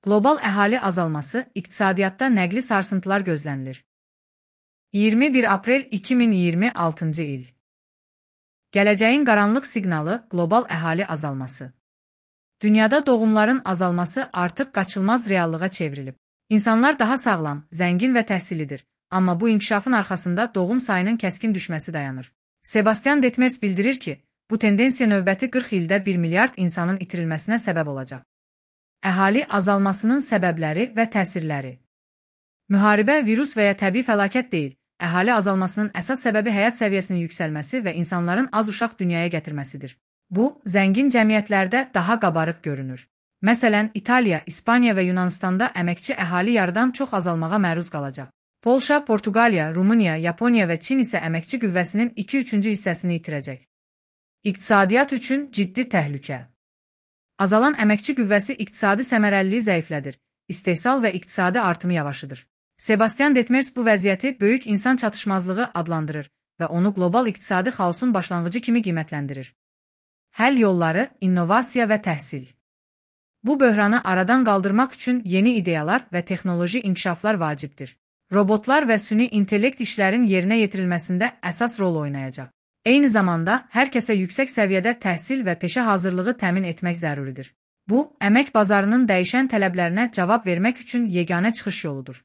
Qlobal əhali azalması, iqtisadiyyatda nəqli sarsıntılar gözlənilir. 21 aprel 2026-cı il. Gələcəyin qaranlıq siqnalı, qlobal əhali azalması. Dünyada doğumların azalması artıq qaçılmaz reallığa çevrilib. İnsanlar daha sağlam, zəngin və təhsillidir, amma bu inkişafın arxasında doğum sayının kəskin düşməsi dayanır. Sebastian Detmers bildirir ki, bu tendensiya növbəti 40 ildə 1 milyard insanın itirilməsinə səbəb olacaq. Əhali azalmasının səbəbləri və təsirləri. Müharibə, virus və ya təbii fəlakət deyil, əhali azalmasının əsas səbəbi həyat səviyyəsinin yüksəlməsi və insanların az uşaq dünyaya gətirməsidir. Bu, zəngin cəmiyyətlərdə daha qabarıq görünür. Məsələn, İtaliya, İspaniya və Yunanistanda əməkçi əhali yarıdan çox azalmağa məruz qalacaq. Polşa, Portuqaliya, Rumıniya, Yaponiya və Çin isə əməkçi qüvvəsinin 2/3 hissəsini itirəcək. İqtisadiyyat üçün ciddi təhlükə. Azalan əməkçi qüvvəsi iqtisadi səmərəliliyi zəiflədir, istehsal və iqtisadi artımı yavaşıdır. Sebastian Detmers bu vəziyyəti böyük insan çatışmazlığı adlandırır və onu qlobal iqtisadi xaosun başlanğıcı kimi qiymətləndirir. Həll yolları, innovasiya və təhsil. Bu böhranı aradan qaldırmaq üçün yeni ideyalar və texnoloji inkişaflar vacibdir. Robotlar və süni intellekt işlərin yerinə yetirilməsində əsas rol oynayacaq. Eyni zamanda, hər kəsə yüksək səviyyədə təhsil və peşə hazırlığı təmin etmək zəruridir. Bu, əmək bazarının dəyişən tələblərinə cavab vermək üçün yeganə çıxış yoludur.